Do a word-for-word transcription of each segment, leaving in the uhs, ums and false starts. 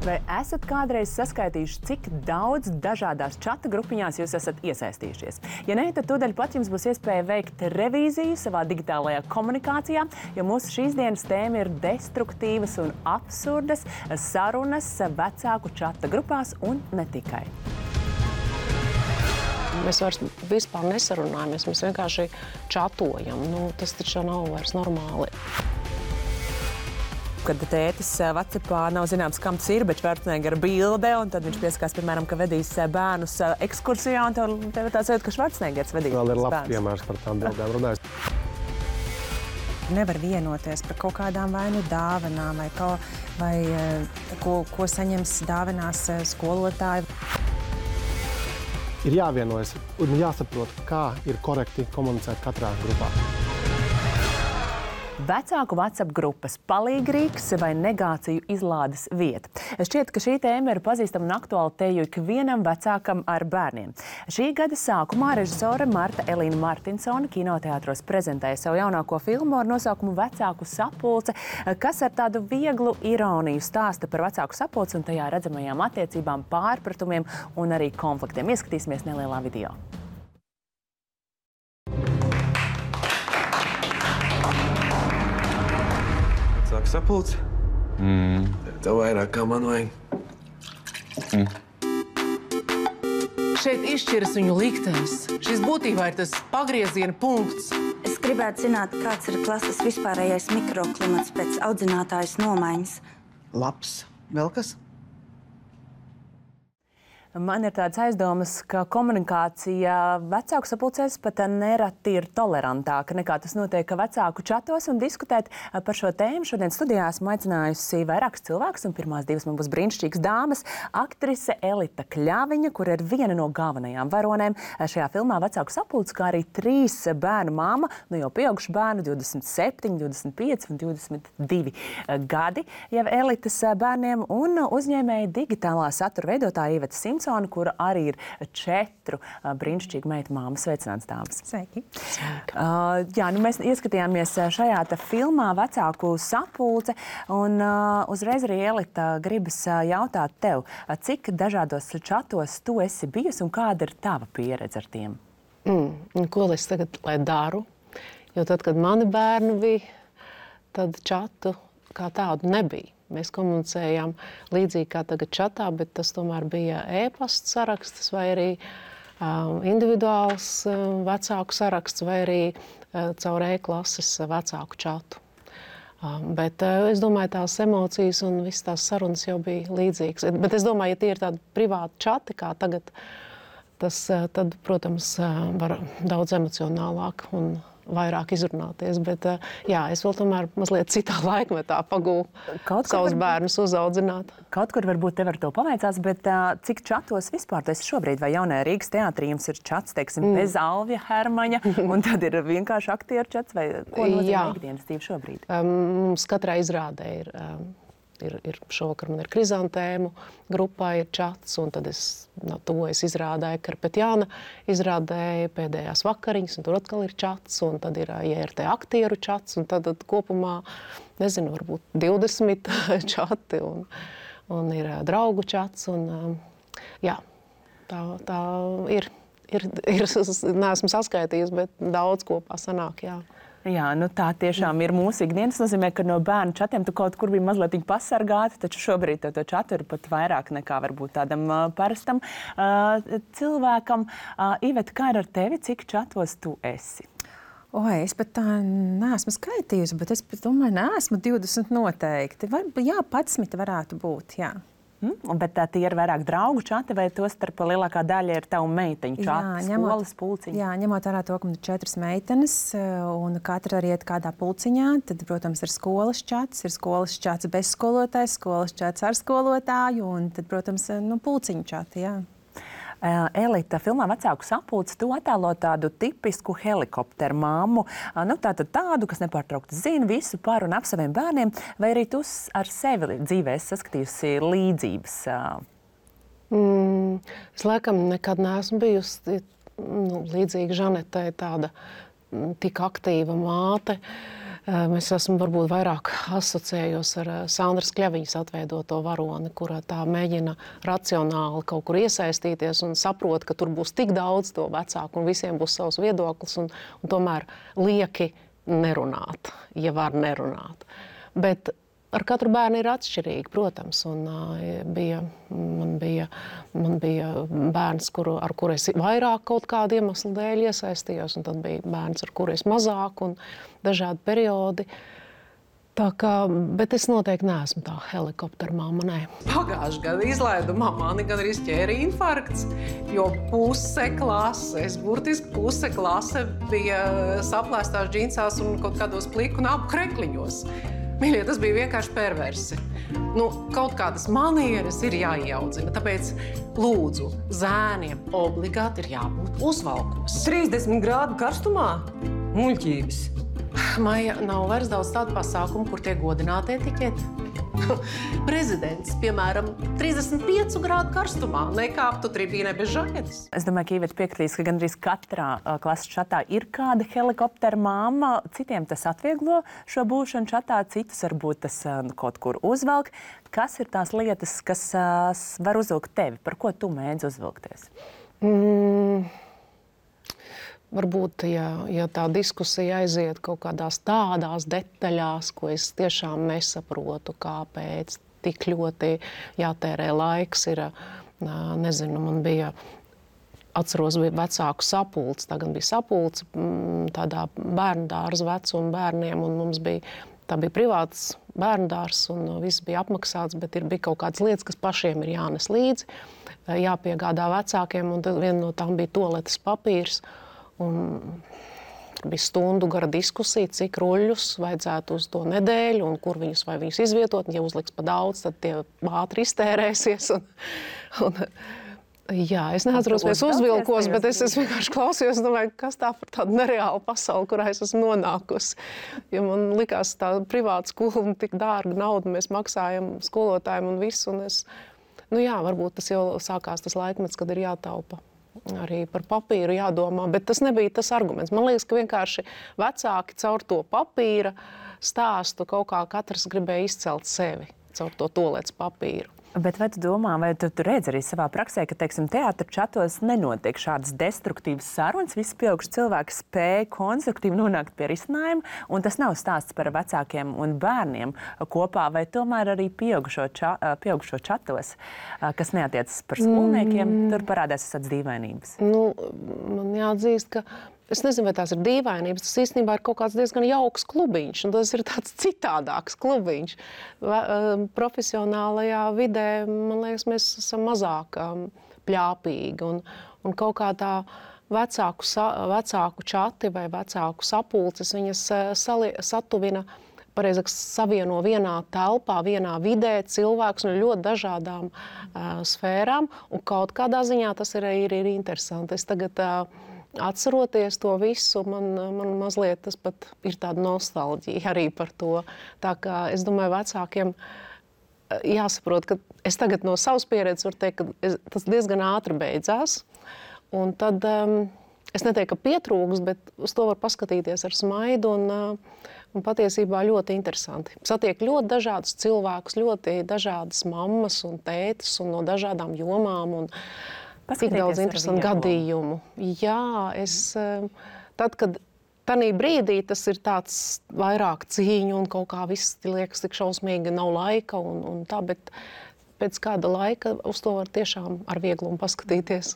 Vai esat kādreiz saskaitījuši, cik daudz dažādās čata grupiņās jūs esat iesaistījušies? Ja nē, tad tūdaļ pat jums būs iespēja veikt revīziju savā digitālajā komunikācijā, jo mūsu šīs dienas tēma ir destruktīvas un absurdas sarunas vecāku čata grupās un ne tikai. Mēs vairs vispār nesarunājamies, mēs vienkārši čatojam. Nu, tas taču nav vairs normāli. Kad tētis WhatsAppā nav zināms, kam tas ir, bet Schwarzenegger bilde, un tad viņš pieskās, piemēram, ka vedīs bērnus ekskursijā, un tev, tev tāds sajūta, ka Schwarzeneggers vedīs bērnus. Vēl ir labs piemērs par tām bildēm runājot. Nevar vienoties par kaut kādām vai nu dāvanām, vai, ko, vai ko, ko saņems dāvanās skolotāji. Ir jāvienojas un jāsaprot, kā ir korekti komunicēt katrā grupā. Vecāku WhatsApp grupas palīgrīgs vai negāciju izlādes vieta. Šķiet, ka šī tēma ir pazīstama un aktuāla te jau ikvienam vecākam ar bērniem. Šī gada sākumā režisore Marta Elīna Martinsone kinoteātros prezentēja savu jaunāko filmu ar nosaukumu Vecāku sapulce, kas ar tādu vieglu ironiju stāsta par vecāku sapulci un tajā redzamajām attiecībām, pārpratumiem un arī konfliktiem. Ieskatīsimies nelielā video. Vecāku sapulci? Mm. Tev vairāk kā man vajag. Mm. Šeit izšķiras viņu liktenis. Šis būtībā ir tas pagrieziena punkts. Es gribētu zināt, kāds ir klases vispārējais mikroklimats pēc audzinātājas nomaiņas. Labs. Vēl kas? Man ir tāds aizdomas, ka komunikācija vecāku sapulcēs pat nereti ir tolerantāka nekā tas notiek vecāku čatos, un diskutēt par šo tēmu šodien studijā esmu aicinājusi vairākus cilvēkus, un pirmās divas man būs brīnišķīgas dāmas. Aktrise Elita Kļaviņa, kur ir viena no galvenajām varonēm šajā filmā Vecāku sapulce, kā arī trīs bērnu māma, nu jau pieaugušu bērnu, divdesmit septiņi, divdesmit pieci un divdesmit divi gadi jau Elitas bērniem, un uzņēmēja digitālā satura veidotāja Iveta Simsone, kura arī ir četru uh, brīnišķīgu meitu māmas. Sveicināts, dāmas. Sveiki. Uh, jā, nu mēs ieskatījāmies šajā te filmā Vecāku sapulce, un uh, uzreiz arī Elita gribas uh, jautāt tev, uh, cik dažādos čatos tu esi bijusi un kāda ir tava pieredze ar tiem? Mm, ko es tagad lai daru? Jo tad, kad mani bērni bija, tad čatu kā tādu nebija. Mēs komunicējām līdzīgi kā tagad čatā, bet tas tomēr bija e-pasta saraksts vai arī um, individuāls um, vecāku saraksts vai arī uh, caur e-klases vecāku čatu. Um, bet uh, es domāju, tās emocijas un visas tās sarunas jau bija līdzīgas. Bet es domāju, ja tie ir tādi privāti čati kā tagad, tas uh, tad, protams, uh, var daudz emocionālāk un vairāk izrunāties, bet jā, es vēl tomēr mazliet citā laikmetā pagūlu savus bērnus uzaudzināt. Kaut kur varbūt tev ar to paveicās, bet uh, cik čatos vispār tu esi šobrīd? Vai jaunajā Rīgas teātrī jums ir čats, teiksim, mm. bez Alvja Hermaņa, un tad ir vienkārši aktieru čats, vai ko nozīmē ikdienas dzīve šobrīd? Mums um, katrai izrādē ir, um, ir, ir šovakar man ir Krizantēmu grupā ir čats, un tad es no, tuvojas izrādēju Karpetjāna izrādēju pēdējās vakariņas, un tur atkal ir čats, un tad ir J R T aktieru čats, un tad, tad kopumā, nezinu, varbūt divdesmit čati, un, un ir draugu čats, un jā, tā, tā ir, ir, ir, neesmu saskaitījusi, bet daudz kopā sanāk, jā. Jā, nu tā tiešām ir mūsu ikdienas. Tas nozīmē, ka no bērnu čatiem tu kaut kur biji mazliet pasargāta, taču šobrīd to, to čatu ir pat vairāk nekā varbūt tādam uh, parastam uh, cilvēkam. Uh, Iveta, kā ir ar tevi? Cik čatos tu esi? Oi, es pat tā neesmu skaitījusi, bet es domāju, neesmu divdesmit noteikti. Var, jā, padsmit varētu būt, jā. Hmm, bet tā tie ir vairāk draugu čati, vai to starp lielākā daļa ir tavu meiteņu čati, skolas pulciņa? Jā, ņemot vērā to, ka man ir četras meitenes, un katra arī iet kādā pulciņā, tad, protams, ir skolas čats, ir skolas čats bez skolotājs, skolas čats ar skolotāju, un tad, protams, nu, pulciņu čati, jā. Elita, filmā Vecāku sapulci tu attēlo tādu tipisku helikopteru mammu, nu tātad tādu, kas nepārtraukti zina visu par un ap saviem bērniem, vai arī tu ar sevi dzīvē esi saskatījusi līdzības? Mm, es laikam nekad neesmu bijusi nu, līdzīga Žanetai, tāda tik aktīva māte. Mēs esam varbūt vairāk asociējos ar Sandras Kļaviņas atveidoto varoni, kurā tā mēģina racionāli kaut kur iesaistīties un saprot, ka tur būs tik daudz to vecāku un visiem būs savs viedoklis un, un tomēr lieki nerunāt, ja var nerunāt. Bet ar katru bērnu ir atšķirīgi, protams, un uh, bija, man, bija, man bija bērns, kuru, ar kuru es vairāk kaut kādu iemeslu dēļ iesaistījos, un tad bija bērns, ar kuru es mazāk, un dažādi periodi. Tā kā, bet es noteikti neesmu tā helikoptera mamma, nē. Pagājušajā gadā izlaidumā mani gan arī ķēra infarkts, jo puse klases, burtiski puse klase bija saplēstās džinsās un kaut kādos pliku un abu krekliņos. Mīļie, tas bija vienkārši perversi. Nu, kaut kādas manieres ir jāieaudzina, tāpēc lūdzu, zēniem obligāti ir jābūt uzvalkos. trīsdesmit grādu karstumā? Muļķības. Maija, nav vairs daudz tādu pasākumu, kur tiek godināti etiķeti. Prezidents, piemēram, trīsdesmit piecu grādu karstumā nekāptu tribīnē bez žaketes. Es domāju, ka Iveta piekritīs, ka gandrīz katrā uh, klases čatā ir kāda helikoptera mamma. Citiem tas atvieglo šo būšanu čatā, citus varbūt tas uh, kaut kur uzvelk. Kas ir tās lietas, kas uh, var uzvilkt tevi? Par ko tu mēdz uzvilkties? Mm. Varbūt, ja, ja tā diskusija aiziet kaut kādās tādās detaļās, ko es tiešām nesaprotu, kāpēc tik ļoti jātērē laiks, ir, nezinu, man bija, atceros, bija vecāku sapulcs, tagad bija sapulcs tādā bērndārza vecuma bērniem, un mums bija, tā bija privāts bērndārs, un viss bija apmaksāts, bet ir, bija kaut kādas lietas, kas pašiem ir jānes līdzi, jāpiegādā vecākiem, un tad viena no tām bija toaletes papīrs. Un bija stundu gara diskusija, cik ruļļus vajadzētu uz to nedēļu un kur viņus vai viņus izvietot. Ja uzliks pa daudz, tad tie ātri iztērēsies. Un, un, jā, es neatceros, vai es uzvilkos, bet es, es vienkārši klausījos un domāju, kas tā par tādu nereālu pasauli, kurā es esmu nonākusi. Ja man likās tā privāta skola un tik dārga nauda, mēs maksājam skolotājiem un visu. Un es, nu jā, varbūt tas jau sākās tas laikmets, kad ir jātaupa. Arī par papīru jādomā, bet tas nebija tas arguments. Man liekas, ka vienkārši vecāki caur to papīra stāstu kaut kā katrs gribēja izcelt sevi caur to toaletes papīru. Bet vai tu domā, vai tu, tu redzi arī savā praksē, ka, teiksim, teātra čatos nenotiek šādas destruktīvas sarunas, visi pieauguši cilvēki spēja konstruktīvi nonākt pie risinājuma, un tas nav stāsts par vecākiem un bērniem kopā, vai tomēr arī pieaugušo, ča, pieaugušo čatos, kas neatiecas par skolniekiem, mm. tur parādās tādas dīvainības? Nu, man jāatzīst, ka es nezinu, vai tās ir dīvainības. Tas īstenībā ir kaut kāds diezgan jauks klubiņš, un tas ir tāds citādāks klubiņš. Profesionālajā vidē, man liekas, mēs esam mazāk pļāpīgi, un, un kaut kā tā vecāku, vecāku čati vai vecāku sapulces, viņas sali, satuvina, pareizāk savieno vienā telpā, vienā vidē cilvēkus no ļoti dažādām uh, sfērām, un kaut kādā ziņā tas ir, ir, ir interesanti. Es tagad uh, atceroties to visu, man, man mazliet tas pat ir tāda nostalģija arī par to. Tā kā es domāju, vecākiem jāsaprot, ka es tagad no savas pieredzes varu teikt, ka es, tas diezgan ātri beidzās. Un tad um, es neteiktu, ka pietrūks, bet uz to var paskatīties ar smaidu un, uh, un patiesībā ļoti interesanti. Satiek ļoti dažādus cilvēkus, ļoti dažādas mammas un tētis un no dažādām jomām. Un, tik daudz interesantu gadījumu. Jā, es, tad, kad tanī brīdī tas ir tāds vairāk cīņu un kaut kā viss liekas tik šausmīgi, nav laika un, un tā, bet pēc kāda laika uz to var tiešām ar vieglumu paskatīties.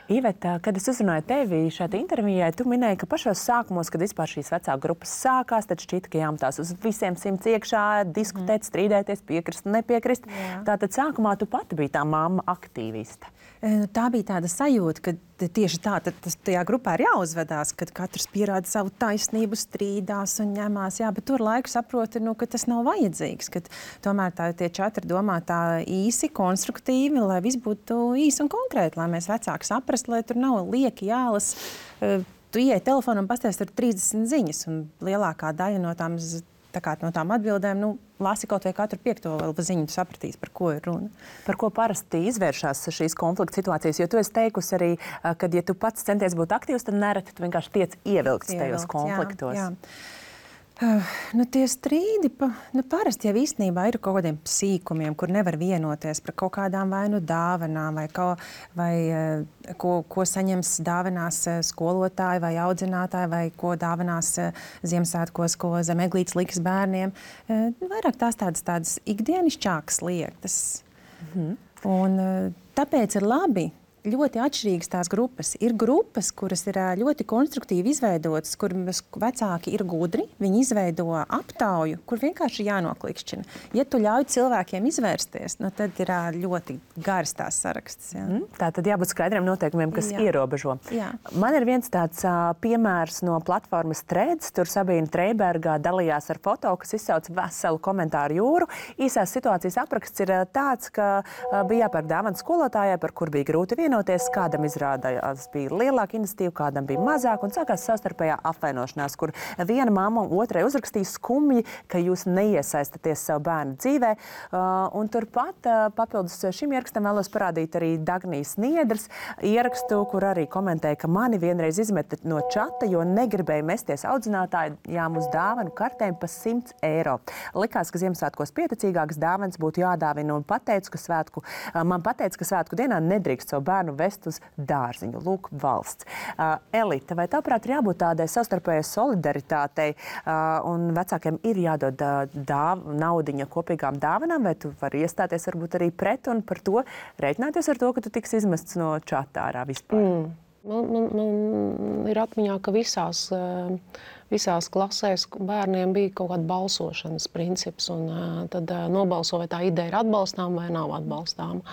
Iveta, kad es uzrunāju tevi šeit intervijai, tu minēji, ka pašos sākumos, kad vispār šīs vecāku grupas sākās, tad šķita, ka jāmetās uz visiem simts iekšā, diskutēt, mm. strīdēties, piekrist, nepiekrist. Jā. Tātad sākumā tu pati biji tā mamma aktīviste. Tā bija tāda sajūta, ka tieši tā, tad tas tajā grupā ir jāuzvedās, kad katrs pierāda savu taisnību, strīdās un ņemās. Jā, bet tur laiku saproti, nu, ka tas nav vajadzīgs, ka tomēr tā, tie četri domā tā īsi, konstruktīvi, lai viss būtu īsi un konkrēti, lai mēs vecāki saprast, lai tur nav lieki jālas. Tu ieej telefonu un pasties tur trīsdesmit ziņas, un lielākā daļa no tām, tā kā, no tām atbildēm, nu, lasi kaut vai katru piekto vēl ziņu, tu sapratīs, par ko ir runa. Par ko parasti izvēršās šīs konflikta situācijas? Jo tu esi teikusi arī, ka, ja tu pats centies būt aktīvs, tad nereti tu vienkārši tiec ievilkts tajos konfliktos. Jā, jā. Uh, nu, tie strīdi pa, nu, parasti jau īstenībā ir kaut kādiem sīkumiem, kur nevar vienoties par kaut kādām vai nu dāvanām, vai, ko, vai uh, ko, ko saņems dāvanās uh, skolotāji vai audzinātāji, vai ko dāvanās uh, Ziemassvētkos, ko zem eglītes liks bērniem. Uh, vairāk tās tādas, tādas ikdienišķākas lietas. Mhm. Un uh, tāpēc ir labi. Ļoti atšķirīgas tās grupas. Ir grupas, kuras ir ļoti konstruktīvi izveidotas, kur vecāki ir gudri, viņi izveido aptauju, kur vienkārši jānoklikšķina. Ja tu ļauj cilvēkiem izvērsties, nu tad ir ļoti garas tās saraksts. Jā. Mm, tā tad jābūt skaidriem noteikumiem, kas jā. ierobežo. Jā. Man ir viens tāds uh, piemērs no platformas Threads. Tur Sabīna Treiberga dalījās ar foto, kas izsauc veselu komentāru jūru. Īsās situācijas apraksts ir uh, tāds, ka uh, bija jāpērk dāvana skolotājai, par kur bija grūti vienoties. Kādam izrādījās bija lielāka iniciatīva, kādam bija mazāk, un sākās savstarpējā apvainošanās, kur viena mamma otrai uzrakstīja skumji, ka jūs neiesaistaties savu bērnu dzīvē. Uh, un turpat uh, papildus šim ierakstam vēlos parādīt arī Dagnijas Niedras ierakstu, kur arī komentēja, ka mani vienreiz izmeta no čata, jo negribēja mesties audzinātājām uz dāvanu kartēm pa simts eiro. Likās, ka Ziemassvētkos pieticīgākas dāvanas būtu jādāvina, un pateicu, ka svētku, uh, man pateica, ka svētku dienā nedrīkst savu bērnu vest uz dārziņu. Lūk, valsts. Uh, Elita, vai tavuprāt ir jābūt tādai savstarpējai solidaritātei uh, un vecākiem ir jādod uh, dāv, naudiņa kopīgām dāvanām, vai tu vari iestāties varbūt arī pret un par to rēķināties ar to, ka tu tiks izmests no čata ārā vispār? Mm. Man, man, man ir atmiņā, ka visās, visās klasēs bērniem bija kaut kāda balsošanas princips, un tad nobalso, vai tā ideja ir atbalstām vai nav atbalstām.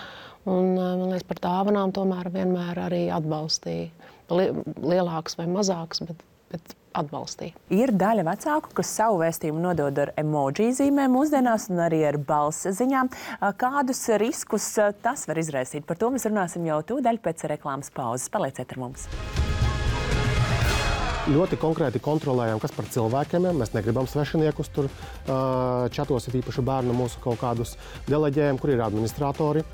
Un, man liekas, par dāvanām tomēr vienmēr arī atbalstīja. Lielāks vai mazāks, bet, bet atbalstīja. Ir daļa vecāku, kas savu vēstījumu nodod ar emoji zīmēm mūsdienās un arī ar balss ziņām. Kādus riskus tas var izraisīt? Par to mēs runāsim jau tūdaļ pēc reklāmas pauzes. Palieciet ar mums! Ļoti konkrēti kontrolējam, kas par cilvēkiem ir. Mēs negribam svešiniekus tur čatos, ir īpaši bērnu mūsu kaut kādus deleģējam, kur ir administratori.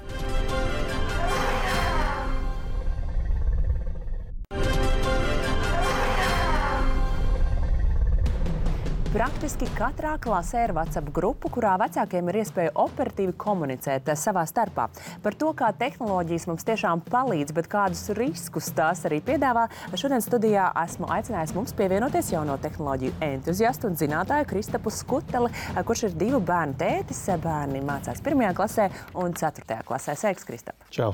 Praktiski katrā klasē ir WhatsApp grupa, kurā vecākiem ir iespēja operatīvi komunicēt savā starpā. Par to, kā tehnoloģijas mums tiešām palīdz, bet kādus riskus tās arī piedāvā, šodien studijā esmu aicinājis mums pievienoties jauno tehnoloģiju entuziastu un zinātāju Kristapu Skuteli, kurš ir divu bērnu tētis. Bērni mācās pirmajā klasē un ceturtajā klasē. Sveiks, Kristap! Čau!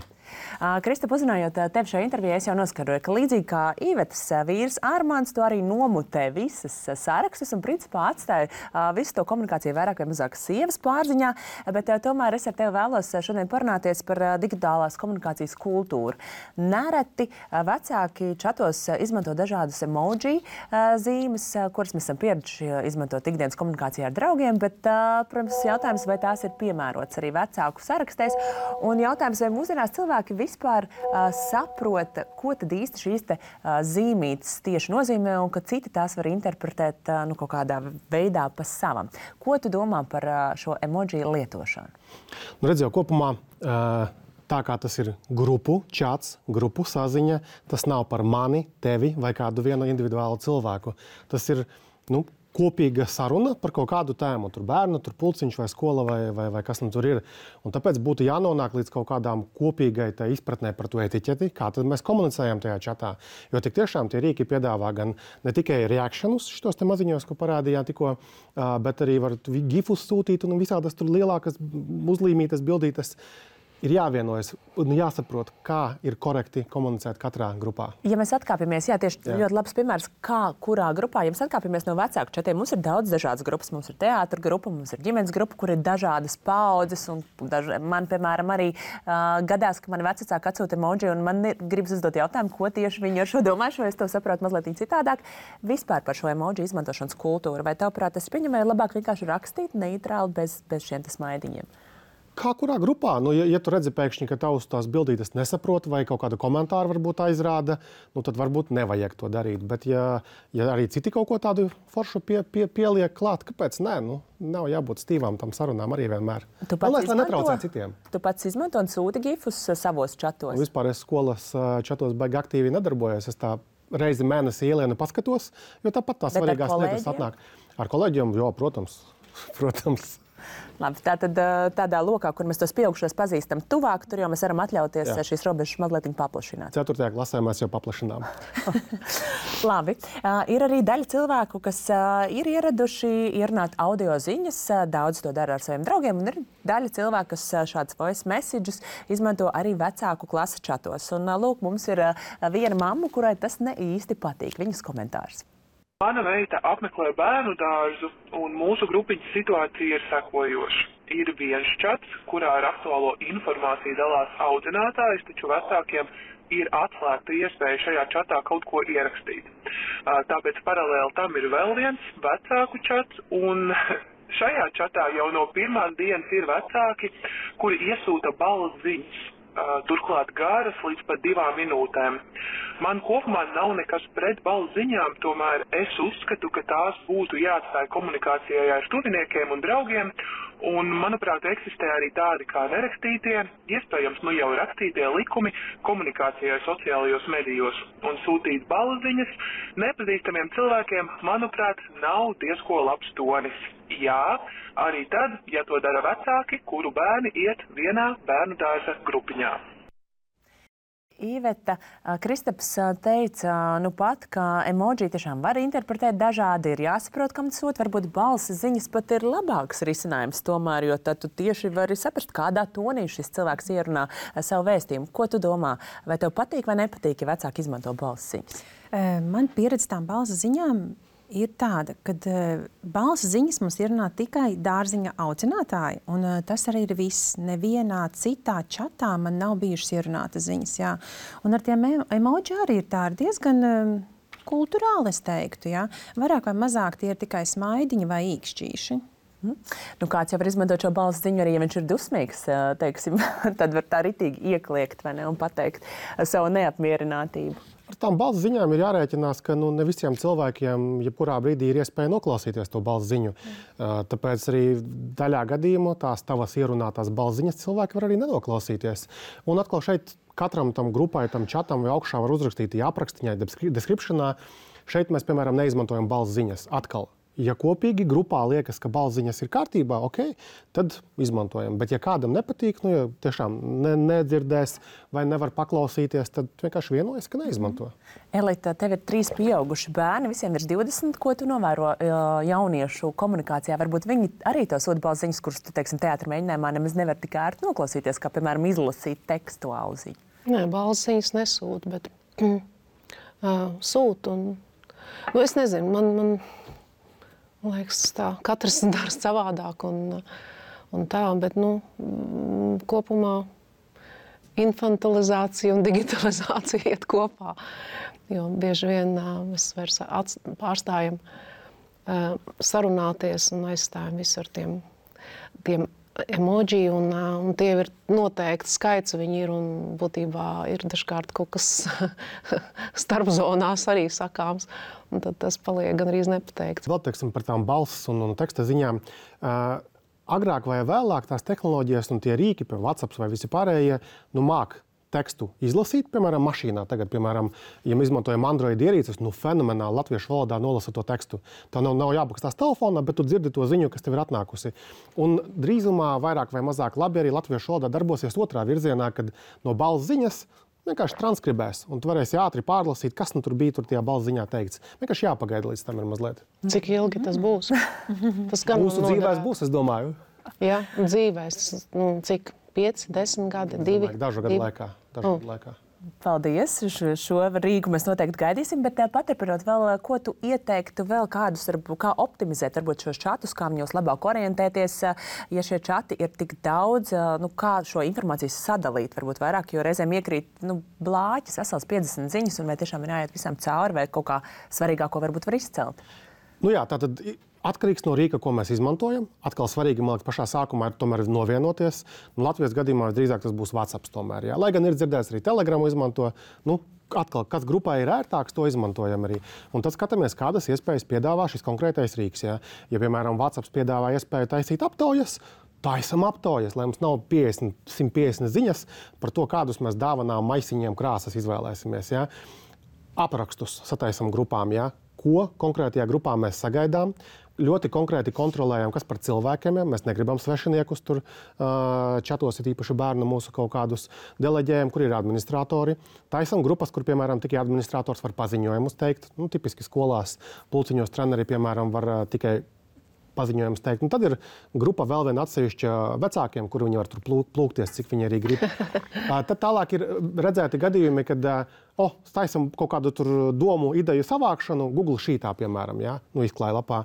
Kristap, uzzinājot tevi šajā intervijā, es jau noskaidroju, ka līdzīgi kā Ivetas vīrs Armāns, tu arī nomutē visas sarakstus un principā atstāja visu to komunikāciju vairāk vai mazāk sievas pārziņā, bet tomēr es ar tevi vēlos šodien parunāties par digitālās komunikācijas kultūru. Nereti vecāki čatos izmanto dažādas emoji zīmes, kuras mēs esam pieraduši izmantot ikdienas komunikācijā ar draugiem, bet, protams, jautājums, vai tās ir piemērotas arī vecāku sarakstēs, un jautājums, vai mūsdienās cilvēki vispār uh, saprota, ko tad īsti šīs te, uh, zīmītes tieši nozīmē un ka citi tās var interpretēt uh, nu, kaut kādā veidā pa savam. Ko tu domā par uh, šo emoji lietošanu? Nu, redz jau kopumā, uh, tā kā tas ir grupu čats, grupu saziņa, tas nav par mani, tevi vai kādu vienu individuālu cilvēku. Tas ir, nu, kopīga saruna par kaut kādu tēmu. Tur bērnu, tur pulciņš vai skola vai, vai, vai kas nu tur ir. Un tāpēc būtu jānonāk līdz kaut kādām kopīgai tā izpratnē par to etiķeti, kā tad mēs komunicējam tajā čatā. Jo tik tiešām tie rīki piedāvā gan ne tikai reakšanus šitos te maziņos, ko parādījām tikko, bet arī var gifus sūtīt un visādas tur lielākas uzlīmītas, bildītas. Ir jāvienojas un jāsaprot, kā ir korekti komunicēt katrā grupā. Ja mēs atkāpjamies, jā, tieši jā. ļoti labs piemērs, kā, kurā grupā, ja mēs atkāpjamies no vecāku čatiem, mums ir daudz dažādas grupas, mums ir teātra grupa, mums ir ģimenes grupa, kur ir dažādas paudzes, un daž... man, piemēram, arī uh, gadās, ka mani vecāki atsūta emoji, un man ir, gribas uzdot jautājumu, ko tieši viņi ar šo domājuši, vai es to saprotu mazliet citādāk. Vispār par šo emoji izmantošanas kultūru, vai tavuprāt, tas pieņemēja labāk vienkārši rakstīt neitrāli bez, bez šiem smaidiņiem? Kā kurā grupā? Nu, ja, ja tu redzi pēkšņi, ka tavs tās bildītes nesaprot vai kaut kādu komentāru varbūt aizrāda, nu, tad varbūt nevajag to darīt. Bet ja, ja arī citi kaut ko tādu foršu pie, pie, pieliek klāt, kāpēc nē? Nu, nav jābūt stīvām tam sarunām arī vienmēr. Tu pats, Lai netraucē citiem. Tu pats izmanto un sūti gifus savos čatos? Nu, vispār es skolas čatos baigi aktīvi nedarbojos. Es tā reizi mēnesī ielienu paskatos, jo tāpat tās svarīgās lietas atnāk. Ar kolēģiem, jo, protams, protams. Labi, tātad tādā lokā, kur mēs tos pieaugušos pazīstam tuvāk, tur jau mēs varam atļauties Jā. šīs robežas mazliet paplašināt. Ceturtajā klasē mēs jau paplašinām. Labi. Uh, ir arī daļa cilvēku, kas uh, ir ieraduši ierunāt audio ziņas. Uh, daudz to dara ar saviem draugiem. Un ir daļa cilvēku, kas uh, šāds voice messages izmanto arī vecāku klases čatos. Un, uh, lūk, mums ir uh, viena mamma, kurai tas ne īsti patīk. Viņas komentārs. Mana meita apmeklē bērnu dārzu, un mūsu grupiņas situācija ir sekojoša. Ir viens čats, kurā ar aktuālo informāciju dalās audzinātājs, taču vecākiem ir atslēgta iespēja šajā čatā kaut ko ierakstīt. Tāpēc paralēli tam ir vēl viens vecāku čats, un šajā čatā jau no pirmās dienas ir vecāki, kuri iesūta balss ziņas. Turklāt garas līdz pat divām minūtēm. Man kopumā nav nekas pret balss ziņām, tomēr es uzskatu, ka tās būtu jāatstāja komunikācijai ar tuviniekiem un draugiem, un, manuprāt, eksistē arī tādi kā nerakstītie, iespējams, nu jau rakstītie likumi komunikācijai sociālajos medijos, un sūtīt balss ziņas nepazīstamiem cilvēkiem, manuprāt, nav diezko labs tonis. Jā, arī tad, ja to dara vecāki, kuru bērni iet vienā bērnu dārza grupiņā. Iveta, Kristaps teica, nu pat, ka emoji tiešām var interpretēt dažādi, ir jāsaprot, kam tas sūt, varbūt balss ziņas pat ir labāks risinājums tomēr, jo tad tu tieši vari saprast, kādā tonī šis cilvēks ierunā savu vēstījumu. Ko tu domā? Vai tev patīk vai nepatīk, ja vecāki izmanto balss ziņas? Man pieredze tām balss ziņām ir tāda, ka uh, balss ziņas mums ierunā tikai dārziņa audzinātāji, un uh, tas arī ir viss. Nevienā citā čatā man nav bijušas ierunātas ziņas, jā. Un ar tiem emoji arī ir tā diezgan uh, kulturāli, es teiktu, jā. Vairāk vai mazāk tie ir tikai smaidiņi vai īkšķīši. Mm. Nu, kāds jau var izmantot šo balss ziņu, arī ja viņš ir dusmīgs, teiksim, tad var tā ritīgi iekliegt, vai ne, un pateikt savu neapmierinātību. Ar tām balss ziņām ir jārēķinās, ka nu, ne visiem cilvēkiem jebkurā brīdī ir iespēja noklausīties to balss ziņu. Uh, tāpēc arī daļā gadījumā tās tavas ierunātās balss ziņas cilvēki var arī nenoklausīties. Un atkal šeit katram tam grupai, tam čatam vai augšā var uzrakstīt aprakstiņai, deskripšanā. Šeit mēs, piemēram, neizmantojam balss ziņas. Atkal. Ja kopīgi grupā liekas, ka balss ziņas ir kārtībā, ok, tad izmantojam. Bet ja kādam nepatīk, nu, ja tiešām ne, nedzirdēs vai nevar paklausīties, tad vienkārši vienojas, ka neizmanto. Elita, tev ir trīs pieauguši bērni, visiem ir divdesmit. Ko tu novēro jauniešu komunikācijā? Varbūt viņi arī to sūta balss ziņas, kuras tu, teiksim, teātra mēģinājumā nemaz nevar tik ērti noklausīties, kā, piemēram, izlasīt tekstuālu ziņu. Nē, balss ziņas nesūta, bet uh, sūta. Un, nu, es nezinu, man... man Man liekas, tā, katrs dara savādāk un, un tā, bet, nu, kopumā infantilizācija un digitalizācija iet kopā. Jo bieži vien mēs vairs pārstājam sarunāties un aizstājam visu ar tiem, tiem emoji, un, un tie ir noteikti skaits, viņi ir, un būtībā ir dažkārt kaut kas starpzonās arī sakāms, un tad tas paliek gan arī nepateikts. Vēl teiksim par tām balss un, un teksta ziņām. Uh, agrāk vai vēlāk tās tehnoloģijas un tie rīki, piemēram, WhatsApp vai visi pārējie, nu māk tekstu izlasīt, piemēram, mašīnā. Tagad, piemēram, ja mēs izmantojam Android ierīces, nu fenomenāli latviešu valodā nolasa to tekstu. Tā nav, nav jāpakstās telefonā, bet tu dzirdi to ziņu, kas tev ir atnākusi. Un drīzumā vairāk vai mazāk labi arī latviešu valodā darbosies otrā virzienā, kad no balss ziņas vienkārši transkribēs, un tu varēsi ātri pārlasīt, kas nu tur bija tur tajā balss ziņā teikts. Vienkārši jāpagaida līdz tam ir mazliet. Cik ilgi tas būs? Tas gan Mūsu dzīvēs būs, es domāju. Jā, dzīvēs. Nu, cik? pieci, desmit gadi, divi? Dažu gadu laikā. Dažu gadu laikā. Paldies! Šo, šo rīku mēs noteikti gaidīsim, bet paturpinot vēl, ko tu ieteiktu vēl kādus, kā optimizēt varbūt šos čatus, kā viņos labāk orientēties, ja šie čati ir tik daudz, nu, kā šo informāciju sadalīt, varbūt vairāk, jo reizēm iekrīt nu, blāķis, vesels piecdesmit ziņas, un vai tiešām ir jāiet visam cauri, vai kaut kā svarīgāko varbūt var izcelt? Nu jā, tātad atkarīgs no rīka, ko mēs izmantojam. Atkal svarīgi, man liekas, pašā sākumā ir tomēr novienoties. Nu, Latvijas gadījumā drīzāk tas būs WhatsApp tomēr. Jā. Lai gan ir dzirdēts arī Telegramu izmanto, nu, atkal, kas grupā ir ērtāks, to izmantojam arī. Un tad skatāmies, kādas iespējas piedāvā šis konkrētais rīks. Jā. Ja, piemēram, WhatsApp piedāvā iespēju taisīt aptaujas, taisam aptaujas, lai mums nav piecdesmit, simt piecdesmit ziņas par to, kādus mēs dāvanām maisiņiem krāsas izvēlēsimies. Jā. Aprakstus sataisam grupām, jā. Ko konkrētajā grupā mēs sagaidām, ļoti konkrēti kontrolējam, kas par cilvēkiem. Mēs negribam svešiniekus tur čatos, ir īpaši bērnu mūsu kaut kādus deleģējam, kur ir administratori. Taisam grupas, kur, piemēram, tikai administrators var paziņojumus teikt. Nu, tipiski skolās pulciņos treneri, piemēram, var tikai paziņojums teikt. Un tad ir grupa vēl viena atsevišķa vecākiem, kur viņi var tur plūkties, cik viņi arī grib. Tad tālāk ir redzēti gadījumi, kad oh, taisam kaut kādu tur domu, ideju savākšanu Google Sheetā, piemēram, ja? Nu, izklāja lapā.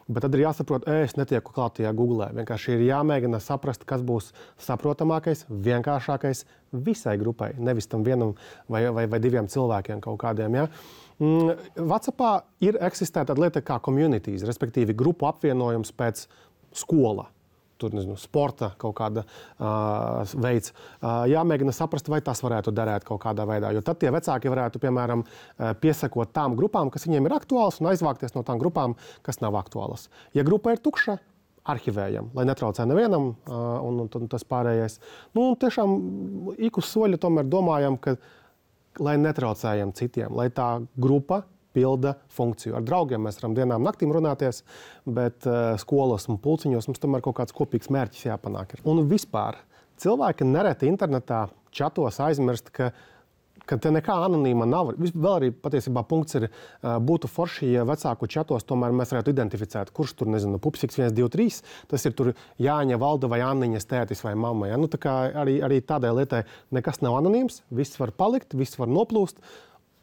Bet tad ir jāsaprot, es netieku klāt tajā Googlē. Vienkārši ir jāmēģina saprast, kas būs saprotamākais, vienkāršākais visai grupai, nevis tam vienam vai, vai, vai diviem cilvēkiem kaut kādiem. Ja? WhatsAppā ir eksistē tāda lieta kā communities, respektīvi grupu apvienojums pēc skola. Tur, nezinu, sporta kaut kāda uh, veids. Uh, jāmēģina saprast, vai tas varētu derēt kaut kādā veidā. Jo tad tie vecāki varētu, piemēram, uh, piesakot tām grupām, kas viņiem ir aktuālas, un aizvākties no tām grupām, kas nav aktuālas. Ja grupa ir tukša, arhivējam, lai netraucē nevienam, uh, un, un, un tas pārējais. Nu, tiešām ik uz soļa tomēr domājam, ka, lai netraucējam citiem, lai tā grupa pilda funkciju. Ar draugiem mēs varam dienām naktīm runāties, bet uh, skolas un pulciņos mums tomēr kaut kāds kopīgs mērķis jāpanāk. Un vispār cilvēki nereti internetā čatos aizmirst, ka, ka te nekā anonīma nav. Vēl arī patiesībā punkts ir, uh, būtu forši, ja vecāku čatos tomēr mēs varētu identificēt, kurš tur, nezinu, pupsiks viens, divi, trīs, tas ir tur Jāņa, Valda vai Anniņas tētis vai mamma. Ja? Nu, tā kā arī, arī tādai lietai nekas nav anonīms, viss var palikt, viss var noplūst.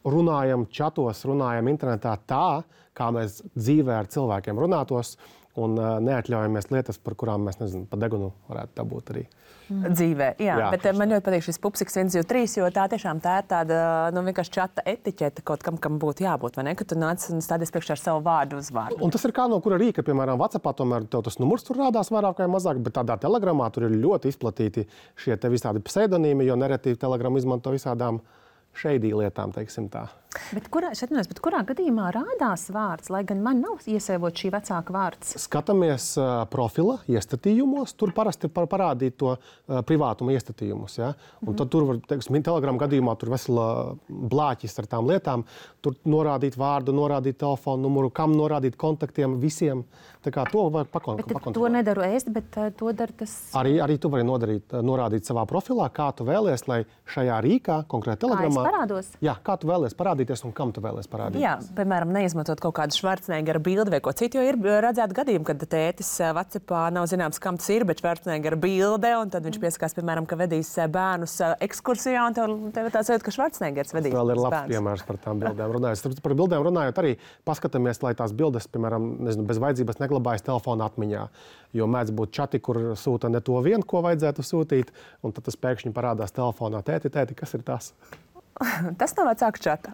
Runājam čatos, runājam internetā tā, kā mēs dzīvē ar cilvēkiem runātos, un uh, neatļaujamies lietas, par kurām mēs, nezinu, pa degunu varētu dabūt arī. Dzīvē, jā, jā, bet tieši man ļoti patīk šis pupsiks viens, divi, trīs, jo tā tiešām tā ir tāda, nu, vienkārši čata etiķete kaut kam, kam būtu jābūt, vai ne, ka tu nāc un stādies priekšā ar savu vārdu uz vārdu. Un tas ir kā no kura rīka, piemēram, WhatsAppā tomēr tev tas numurs tur rādās vairāk vai mazāk, bet tādā telegramā tur ir ļoti izplatīti šie te visādi pseidonīmi, jo nereti telegramu izmanto visādām šeidī lietām, teiksim tā. Bet kurā, šatinies, bet kurā gadījumā rādās vārds, lai gan man nav iesēvot šī vecāka vārds? Skatāmies uh, profila iestatījumos, tur parasti par parādīt to uh, privātuma iestatījumus. Ja? Un mm-hmm. tad tur var, teiksim, telegramu gadījumā tur vesela blāķis ar tām lietām, tur norādīt vārdu, norādīt telefonu numuru, kam norādīt kontaktiem visiem. Tā kā to var pakontrolēt. To nedaru es, bet uh, to dara tas... Arī, arī tu vari nodarīt, norādīt savā profilā, kā tu vēlies, lai šajā rīkā, konkrēti telegramā... Kā es parādos? Jā, kā tu vēlies parādīt un kam tu vēlies parādīt? Jā, piemēram, neizmantot kaut kādu Schwarzeneggera bildi vai ko citu, jo ir redzēti gadījumi, kad tētis WhatsAppā nav zināms, kam tas ir, bet Schwarzeneggera bilde, un tad viņš piesakās, piemēram, ka vedīs bērnus ekskursijā, un tev, tev tāds sajūta, ka Schwarzeneggers vedīs bērnus. Vēl ir labs piemērs par tām bildēm runājot. Par bildēm runājot arī paskatāmies, lai tās bildes, piemēram, nezinu, bez vajadzības neglabājas telefona atmiņā, jo mēdz būt čati, kur sūta ne to vienu, ko vajadzētu sūtīt, un tad tas pēkšņi parādās telefonā. Tēti, tēti, kas ir tas? Tas nav vecāku čata.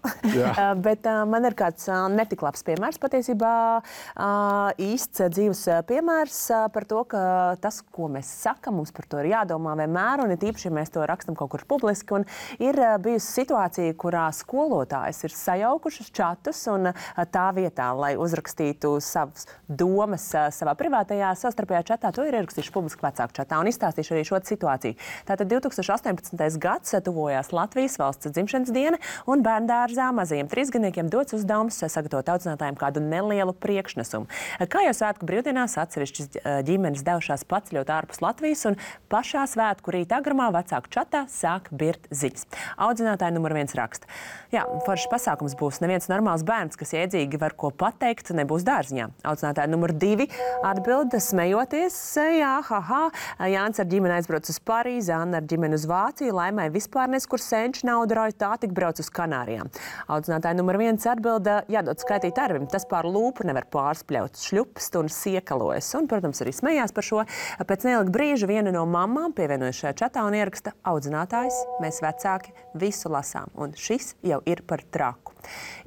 Bet uh, man ir kāds uh, netik labs piemērs patiesībā, uh, īsts dzīves piemērs uh, par to, ka tas, ko mēs sakam, mums par to ir jādomā vienmēr, un ir tīpaši, ja mēs to rakstam kaut kur publiski. Un ir uh, bijusi situācija, kurā skolotājs ir sajaukušas čatus, un uh, tā vietā, lai uzrakstītu savas domas uh, savā privātajā savstarpējā čatā, to ir ierakstījuši publiski vecāku čatā, un izstāstīšu arī šo situāciju. Tātad divi tūkstoši astoņpadsmitais gads tuvojās Latvijas valsts dzimšanas diena, un bērndārzā mazajiem trīsgadniekiem dots uzdevums sagatavot audzinātājiem kādu nelielu priekšnesumu. Kā jau svētku brīvdienās atsevišķas ģimenes devušās paceļot ārpus Latvijas, un pašā svētku rīta agramā vecāku čatā sāk birt ziņas. Audzinātāji numur viens raksta. Jā, foršs pasākums būs. Neviens normāls bērns, kas iedzīgi var ko pateikt, nebūs dārziņā. Audzinātāji numur divi atbild smejoties. Jā, haha, Jānis ar ģimeni aizbrauc uz Parīzi, Anna ar ģimeni uz Vāciju, Laimai vispār nes, kur senči naudu rauj, tā tik brauc uz Kanārijām. Audzinātāji numur viens atbilda, jādod skaitīt arvim, tas pār lūpu nevar pārspļaut, šļupst un siekalojas. Un, protams, arī smējās par šo. Pēc neilga brīža viena no mamām pievienojas šajā čatā un ieraksta audzinātājs, mēs vecāki visu lasām, un šis jau ir par traku.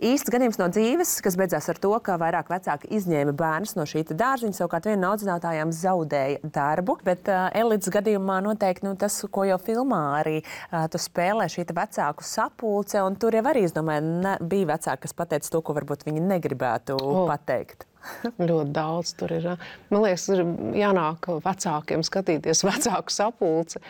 Īsts gadījums no dzīves, kas beidzās ar to, ka vairāk vecāki izņēma bērnus no šī dārziņa, savukārt viena no audzinātājām zaudēja darbu, bet uh, Elites gadījumā noteikti nu, tas, ko jau filmā arī uh, tu spēlē šī vecāku sapulce, un tur jau arī, es domāju, ne, bija vecāki, kas pateica to, ko varbūt viņi negribētu oh. pateikt. Ļoti daudz tur ir. Man liekas, ir jānāk vecākiem skatīties vecāku sapulci,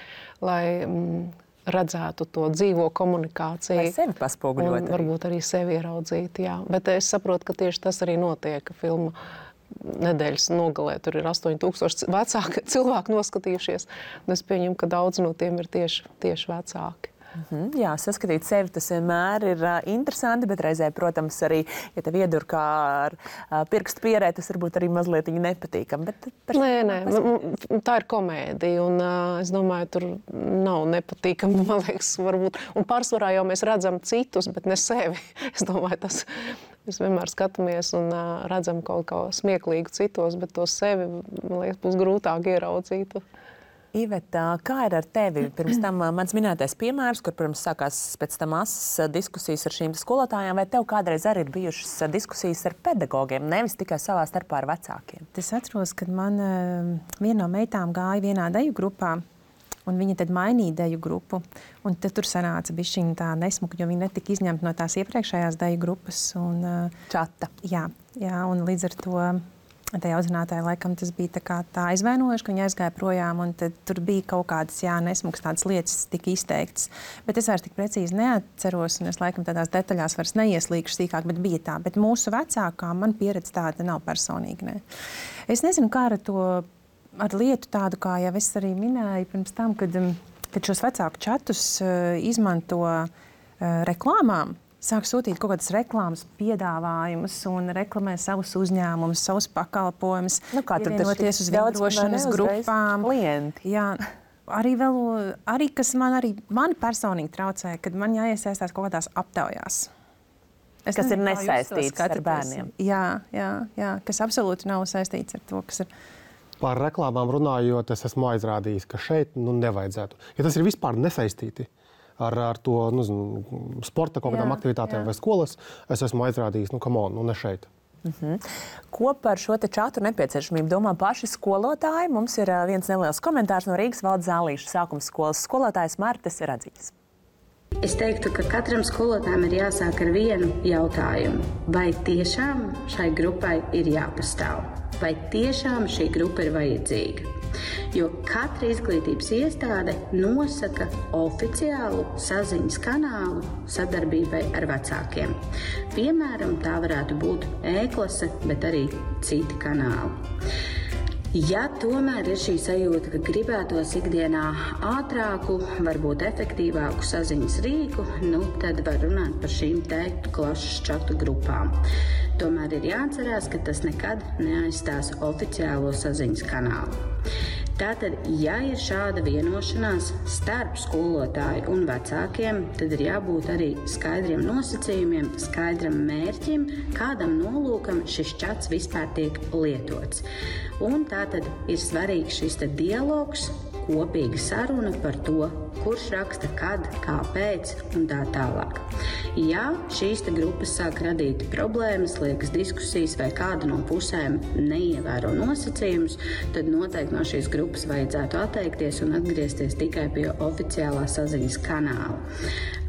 lai mm, redzētu to dzīvo komunikāciju. Lai sevi paspoguļot. Un varbūt arī sevi ieraudzīt, jā. Bet es saprotu, ka tieši tas arī notiek, ka filma nedēļas nogalē tur ir astoņi tūkstoši vecāki cilvēki noskatījušies. Un es pieņemu, ka daudz no tiem ir tieši, tieši vecāki. Mm-hmm. Jā, saskatīt sevi tas vienmēr ir uh, interesanti, bet reizē, protams, arī, ja tev iedur kā ar uh, pirkstu pierē, tas varbūt arī mazliet nepatīkam. Bet par... Nē, nē, tā ir komēdija, un uh, es domāju, tur nav nepatīkam, man liekas, varbūt. Un pārsvarā jau mēs redzam citus, bet ne sevi. Es domāju, tas, mēs vienmēr skatāmies un uh, redzam kaut ko smieklīgu citos, bet to sevi, man liekas, būs grūtāk ieraudzīt. Iveta, kā ir ar tevi? Pirms tam mans minētais piemērs, kur, protams, sākās pēc tam asas diskusijas ar šīm skolotājām, vai tev kādreiz arī ir bijušas diskusijas ar pedagogiem, nevis tikai savā starpā ar vecākiem? Es atceros, kad man viena no meitām gāja vienā deju grupā, un viņa tad mainīja deju grupu. Un tad tur sanāca bišķiņa tā nesmuka, jo viņa netika izņemta no tās iepriekšējās deju grupas. Un, Čata. Jā, jā, un līdz ar to tajā audzinātāja laikam tas bija tā, kā tā aizvainojuši, ka viņa aizgāja projām, un tad tur bija kaut kādas, jā, nesmukas tādas lietas tika izteiktas. Bet es vairs tik precīzi neatceros, un es laikam tādās detaļās vairs neieslīgšu sīkāk, bet bija tā. Bet mūsu vecākā man pieredze tāda nav personīgi, ne. Es nezinu, kā ar to, ar lietu tādu, kā jau es arī minēju pirms tam, kad, kad šos vecāku čatus uh, izmanto uh, reklāmām, sāk sūtīt kaut kādas reklāmas piedāvājumus un reklamē savus uzņēmumus, savus pakalpojumus, nu, pievienoties uz vienošanas grupām. Klienti. Jā, arī vēl, arī kas man arī, man personīgi traucē, kad man jāiesaistās kaut kādās aptaujās. Es kas nezinu, ir nesaistīts ar bērniem. Jā, jā, jā, kas absolūti nav saistīts ar to, kas ir. Par reklāmām runājot, es esmu aizrādījis, ka šeit nu, nevajadzētu. Ja tas ir vispār nesaistīti ar, ar to nu, sporta kaut kādām jā, aktivitātēm jā. Vai skolas, es esmu aizrādījis, nu, come on, nu, ne šeit. Uh-huh. Ko par šo te čatu nepieciešamību domā paši skolotāji? Mums ir uh, viens neliels komentārs no Rīgas Valdes Zālīša sākuma skolas skolotājs Martes Radzīs. Es teiktu, ka katram skolotājam ir jāsāk ar vienu jautājumu. Vai tiešām šai grupai ir jāpastāv? Vai tiešām šī grupa ir vajadzīga? Jo katra izglītības iestāde nosaka oficiālu saziņas kanālu sadarbībai ar vecākiem. Piemēram, tā varētu būt e-klase, bet arī citi kanāli. Ja tomēr ir šī sajūta, ka gribētos ikdienā ātrāku, varbūt efektīvāku saziņas rīku, nu, tad var runāt par šīm te klases čatu grupām. Tomēr ir jāatcerās, ka tas nekad neaizstās oficiālo saziņas kanālu. Tātad, ja ir šāda vienošanās starp skolotāju un vecākiem, tad ir jābūt arī skaidriem nosacījumiem, skaidram mērķim, kādam nolūkam šis čats vispār tiek lietots. Un tātad ir svarīgs šis te dialogs, kopīga saruna par to, kurš raksta, kad, kāpēc un tā tālāk. Ja šīs te grupas sāk radīt problēmas, liekas diskusijas vai kāda no pusēm neievēro nosacījumus, tad noteikti no šīs grupas vajadzētu atteikties un atgriezties tikai pie oficiālā saziņas kanāla.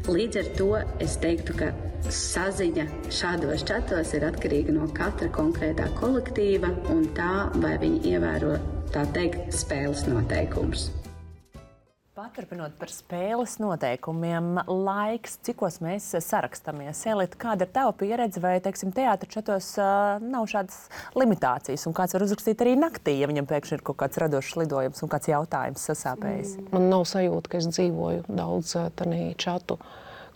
Līdz ar to es teiktu, ka saziņa šādos čatos ir atkarīga no katra konkrētā kolektīva un tā, vai viņi ievēro, tā teikt, spēles noteikumus. Paturpinot par spēles noteikumiem, laiks, cikos mēs sarakstamies. Elita, kāda ir tava pieredze vai, teiksim, teātra čatos uh, nav šādas limitācijas? Un kāds var uzrakstīt arī naktī, ja viņam pēkšņi ir kaut kāds radošs lidojums un kāds jautājums sasāpējis? Man nav sajūta, ka es dzīvoju daudz tanī čatu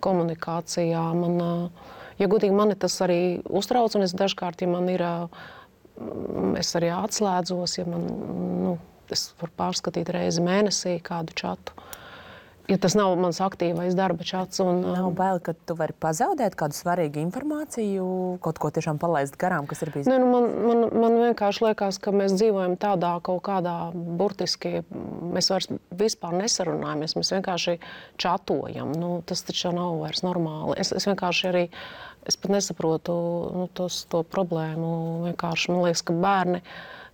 komunikācijā. Man, uh, ja godīgi, mani tas arī uztrauc, un es dažkārt, ja man ir, uh, es arī atslēdzos, ja man, nu, es varu pārskatīt reizi mēnesī kādu čatu. Ja tas nav mans aktīvais darba čats. Un, nav bail, ka tu vari pazaudēt kādu svarīgu informāciju, kaut ko tiešām palaist garām, kas ir bijis? Ne, nu man, man, man vienkārši liekas, ka mēs dzīvojam tādā kaut kādā burtiski, mēs vairs vispār nesarunājamies, mēs vienkārši čatojam. Nu, tas taču nav vairs normāli. Es, es vienkārši arī, es pat nesaprotu nu, tos, to problēmu. Vienkārši man liekas, ka bērni,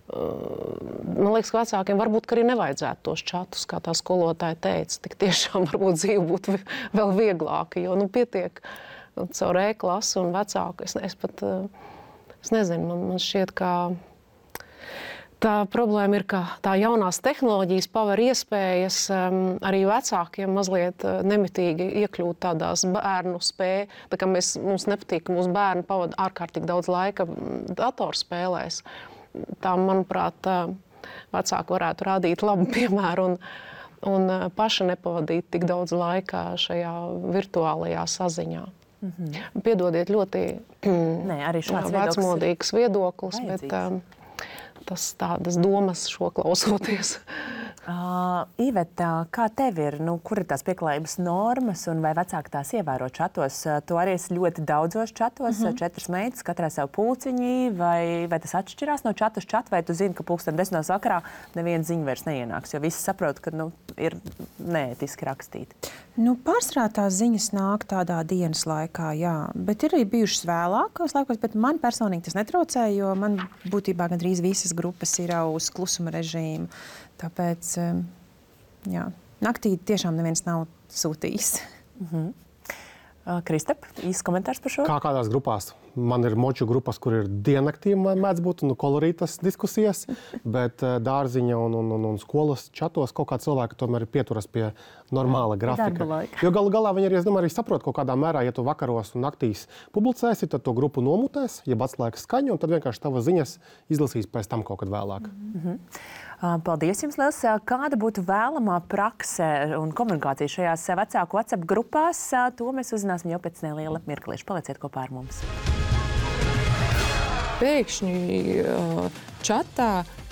man liekas, ka vecākiem varbūt arī nevajadzētu tos čatus, kā tā skolotāja teica. Tik tiešām varbūt dzīve būtu vēl vieglāka, jo nu, pietiek caur e-klasi un vecāku. Es, es pat, es nezinu, man, man šķiet, ka tā problēma ir, ka tā jaunās tehnoloģijas paver iespējas um, arī vecākiem mazliet nemitīgi iekļūt tādās bērnu spēju. Tā kā mēs, mums nepatīk, ka mūsu bērni pavada ārkārtīgi daudz laika datorspēlēs. tā, manuprāt, vecāki varētu rādīt labu piemēru un, un paši nepavadīt tik daudz laika šajā virtuālajā saziņā. Mm-hmm. Piedodiet, ļoti Nē, arī šāds vecmodīgs viedoklis, bet um, tas tādas domas šo klausoties. Uh, Iveta, kā tev ir? Nu, kur ir tās pieklājības normas un vai vecāki tās ievēro čatos? Tu arī esi ļoti daudzos čatos, mm-hmm. četras meitas, katrai savu pulciņi, vai, vai tas atšķirās no čatu uz čatu, vai tu zini, ka pulksten desmitos vakarā neviena ziņa vairs neienāks, jo visi saprot, ka nu, ir neētiski rakstīti? Nu, pārsvarā tās ziņas nāk tādā dienas laikā, jā, bet ir arī bijušas vēlākos laikos, bet man personīgi tas netraucēja, jo man būtībā gandrīz visas grupas ir uz klusuma režīmu. Tāpēc, jā, naktī tiešām neviens nav sūtījis. Mhm. Kristap, īsts komentārs par šo? Kā kādās grupās? Man ir moču grupas, kur ir diennaktī mēdz būt, nu, kolorītas diskusijas, bet dārziņa un, un, un, un skolas čatos kaut kā cilvēki tomēr pieturas pie normāla grafika. Jo galu galā viņi arī, es domāju, arī saprot kaut kādā mērā, ja tu vakaros un naktīs publicēsi, tad to grupu nomutēs, jeb atslēgas skaņu, un tad vienkārši tavas ziņas izlasīs pēc tam kaut kad vēlāk. Mhm. Paldies jums liels. Kāda būtu vēlamā prakse un komunikācija šajās vecāku WhatsApp grupās? To mēs uzzināsim jau pēc neliela mirklīša. Palieciet kopā ar mums. Pēkšņi čatā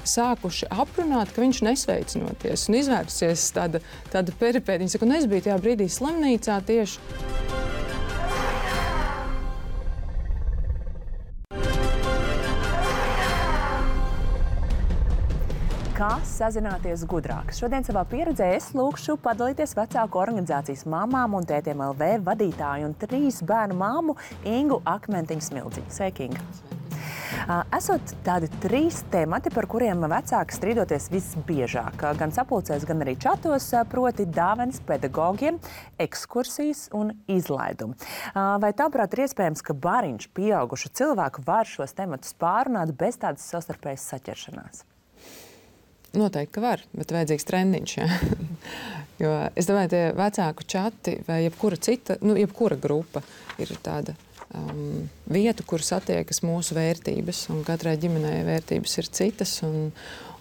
sākuši aprunāt, ka viņš nesveicinoties un izvērsies tāda, tāda peripēta. Viņa saka, un es biju tajā brīdī slimnīcā tieši. Kā sazināties gudrāk? Šodien savā pieredzē es lūkšu padalīties vecāku organizācijas mamām un tētiem L V vadītāju un trīs bērnu māmu Ingu Akmentiņu-Smildziņu. Sveiki, Inga! Esot tādi trīs temati, par kuriem vecāki strīdoties visbiežāk, gan sapulcēs, gan arī čatos, proti dāvanas pedagogiem, ekskursijas un izlaidumi. Vai tavuprāt ir iespējams, ka bariņš pieaugušu cilvēku var šos tematus pārunāt bez tādas savstarpējas saķeršanās? Noteikti, ka var, bet vajadzīgs trendiņš. Ja? Jo es domāju, tie vecāku čati vai jebkura cita, nu, jebkura grupa ir tāda um, vieta, kur satiekas mūsu vērtības, un katrai ģimenei vērtības ir citas, un,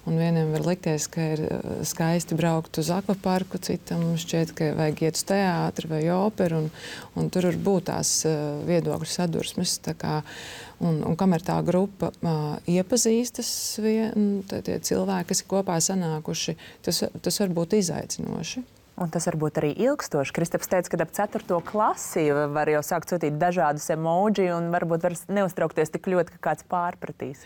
un vieniem var likties, ka ir skaisti braukt uz akvaparku, citam šķiet, ka vajag iet uz teātri vai operu, un, un tur var būt tās uh, viedokļu sadursmes. Tā kā, un, un kamēr tā grupa uh, iepazīstas, vien, tie cilvēki, kas ir kopā sanākuši, tas, tas var būt izaicinoši. Un tas var būt arī ilgstoši. Kristaps teica, ka ap ceturto klasi var jau sākt sūtīt dažādus emoji un varbūt var neuztraukties tik ļoti, ka kāds pārpratīs.